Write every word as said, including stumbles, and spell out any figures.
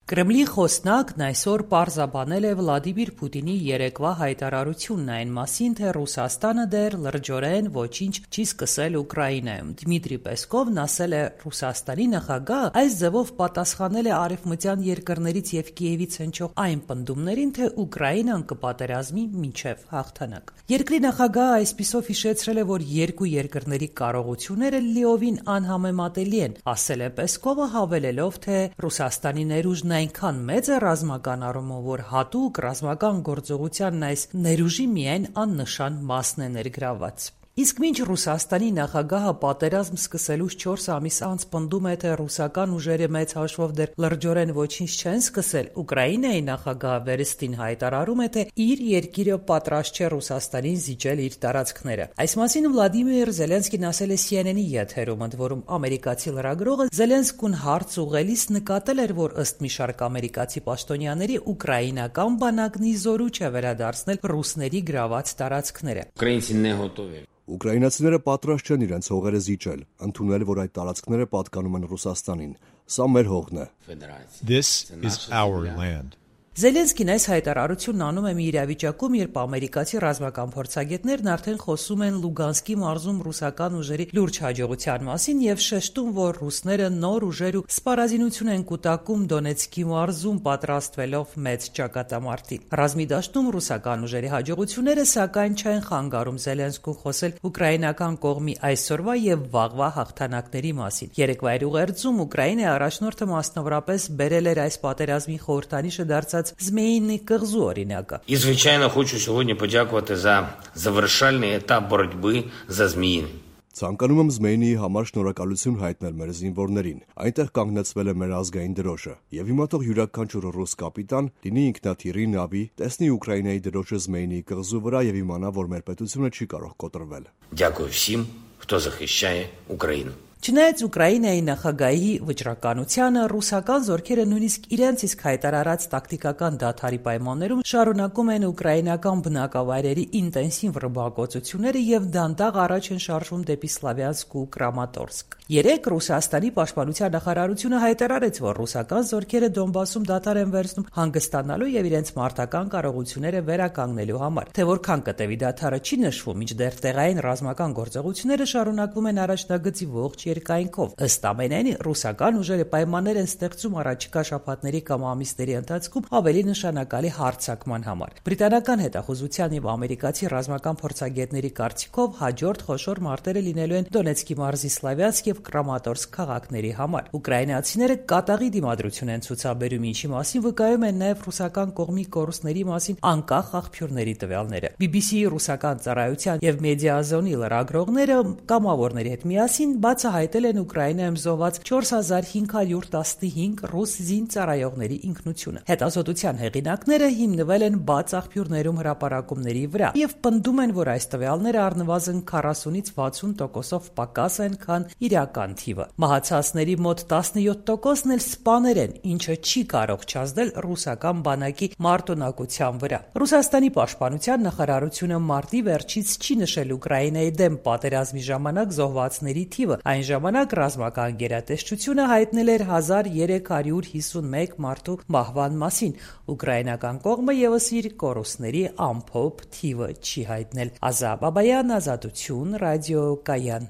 Կրեմլի խոսնակն այսօր պարզաբանել է Վլադիմիր Պուտինի երեկվա հայտարարությունն այն մասին, թե Ռուսաստանը դեռ լրջորեն ոչինչ չի սկսել Ուկրաինայում։ Դմիտրի Պեսկովն ասել է, Ռուսաստանի նախագահը այս ձևով պատասխանել է արևմտյան երկրներից եւ Կիևից հնչող այն պնդումներին, թե Ուկրաինան կպատերազմի մինչեւ հաղթանակ։ Երկրի նախագահը այսպիսով հիշեցրել է, որ երկու երկրների կարողությունները լիովին անհամեմատելի են, ասել է Պեսկովը, հավելելով, թե Ռուսաստանի ներուժն այնքան մեծ է ռազմական առումով, որ հատուկ ռազմական գործողությանն այս ներուժի միայն աննշան մասն է ներգրավված։ Իսկ մինչ Ռուսաստանի նախագահը պատերազմ սկսելուց չորս ամիս անց պնդում է, թե ռուսական ուժերը մեծ հաշվով դեռ լրջորեն ոչինչ չեն սկսել, Ուկրաինայի նախագահը վերստին հայտարարում է, թե իր երկիրը պատրաստ չէ Ռուսաստանին զիջել իր տարածքները։ Այս մասին Վլադիմիր Զելենսկին ասել է C N N-ի եթերում, ընդ որում ամերիկացի լրագրողը Զելենսկուն հարց ուղղելիս նկատել էր, որ ըստ մի շարք ամերիկացի պաշտոնյաների ուկրաինական բանակն ի զորու չէ վերադարձնել ռուսների գրաված տարածքները։ Ուկրաինացիները պատրաստ չեն իրենց հողերը զիջել, ընդունել, որ այդ տարածքները պատկանում են Ռուսաստանին։ Սա մեր հողն է։ This is our land. Զելենսկին այս հայտարարությունն անում է մի իրավիճակում, երբ ամերիկացի ռազմական փորձագետներն արդեն խոսում են Լուգանսկի մարզում ռուսական ուժերի լուրջ հաջողության մասին եւ շեշտում, որ ռուսները նոր ուժեր ու սպառազինություն են կուտակում Դոնեցկի մարզում, պատրաստվելով մեծ ճակատամարտի։ Ռազմի դաշտում ռուսական ուժերի հաջողությունները սակայն չեն խանգարում Զելենսկուն խոսել ուկրաինական կողմի այսօրվա եւ վաղվա հաղթանակների մասին։ Երեկվա ուղերձում Ուկրաինայի առաջնորդը մասնավորապես բերել էր այս պատերազմի խորհրդանիշը դարձած Змеїний կղզու օրինակը։ І, звичайно, хочу сьогодні подякувати за завершальний етап боротьби за Зміїний. Ցանկանում եմ Զմեյնիի համար շնորհակալություն հայտնել մեր զինվորներին։ Այնտեղ կանգնեցվել է մեր ազգային դրոշը, եւ հիմա թող յուրաքանչյուր ռուս կապիտան լինի ինքնաթիռի նավի, տեսնի Ուկրաինայի դրոշը Զմեյնիի կղզու վրա եւ իմանա, որ մեր պետությունը չի կարող կոտրվել։ Дякую всім, хто захищає Україну. Չնայած Ուկրաինայի նախագահի վճռականությանը, ռուսական զորքերը նույնիսկ իրենց իսկ հայտարարած տակտիկական դադարի պայմաններում շարունակում են ուկրաինական բնակավայրերի ինտենսիվ ռմբակոծությունները եւ դանդաղ առաջ են շարժվում դեպի Սլավյանսկ ու Կրամատորսկ։ Երեք Ռուսաստանի պաշտպանության նախարարությունը հայտարարեց, որ ռուսական զորքերը Դոնբասում դադար են վերցնում հանգստանալու եւ իրենց մարտական կարողությունները վերականգնելու համար։ Թե որքան կտևի դադարը չի նշվում, մինչդեռ տեղային ռազմական գործողությունները շարունակվում են առաջնագծի ողջ երկայնքով։ Ըստ ամենայնի, ռուսական ուժերը պայմաններ են ստեղծում առաջիկա շաբաթների կամ ամիսների ընթացքում ավելի նշանակալի հարձակման համար։ Բրիտանական հետախուզության եւ ամերիկացի ռազմական փորձագետների կարծիքով հաջորդ խոշոր մարտերը լինելու են Դոնեցկի մարզի Սլավյանսկ եւ Կրամատորսկ քաղաքների համար։ Ուկրաինացիները կատաղի դիմադրություն են ցուցաբերում, ինչի մասին վկայում են նաեւ ռուսական կողմի կորուստների մասին անկախ աղբյուրների տվյալները։ B B C-ի ռուսական ծառայության եւ Մեդիազոնի լրագրողները կամավորների հետ միասին բացահայտել են Ուկրաինայում զոհված չորս հազար հինգ հարյուր տասնհինգ ռուս զինծառայողների ինքնությունը։ Հետազոտության հեղինակները հիմնվել են բաց աղբյուրներում հրապարակումների վրա եւ պնդում են, որ այս տվյալները առնվազն քառասունից վաթսուն տոկոսով պակաս են, քան իրական թիվը։ Մահացածների մոտ տասնյոթ տոկոսն էլ սպաներ են, ինչը չի կարող չազդել ռուսական բանակի մարտունակության վրա։ Ռուսաստանի պաշտպանության նախարարությունը մարտի վերջից չի նշել Ուկրաինայի դեմ պատերազմի ժամանակ զոհվածների թիվը։ Այն ժամանակ ռազմական գերատեսչությունը հայտնել էր հազար երեք հարյուր հիսունմեկ մարդու մահվան մասին։ Ուկրաինական կողմը եւս իր կորուստների ամփոփ թիվը չի հայտնել։ Ազա Բաբայան, Ազատություն, ռադիո Կայան։